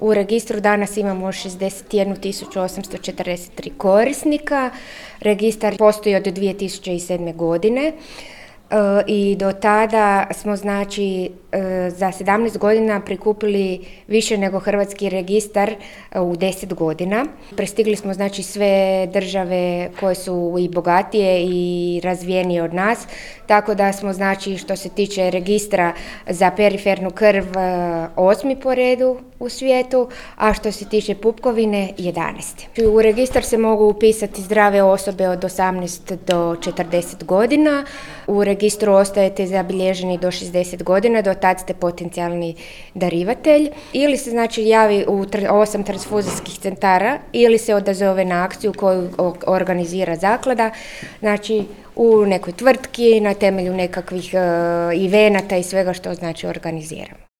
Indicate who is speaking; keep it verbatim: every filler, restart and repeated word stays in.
Speaker 1: U registru danas imamo šezdeset jednu tisuću osamsto četrdeset tri korisnika. Registar postoji od dvije tisuće sedme. godine. I do tada smo znači za sedamnaest godina prikupili više nego Hrvatski registar u deset godina. Prestigli smo znači sve države koje su i bogatije i razvijenije od nas, tako da smo znači što se tiče registra za perifernu krv osmi po redu u svijetu, a što se tiče pupkovine jedanaesti. U registar se mogu upisati zdrave osobe od osamnaest do četrdeset godina. U registru ostajete zabilježeni do šezdeset godina, do tad ste potencijalni darivatelj. Ili se znači javi u osam transfuzijskih centara ili se odazove na akciju koju organizira zaklada, znači u nekoj tvrtki na temelju nekakvih uh, evenata i svega što znači organiziramo.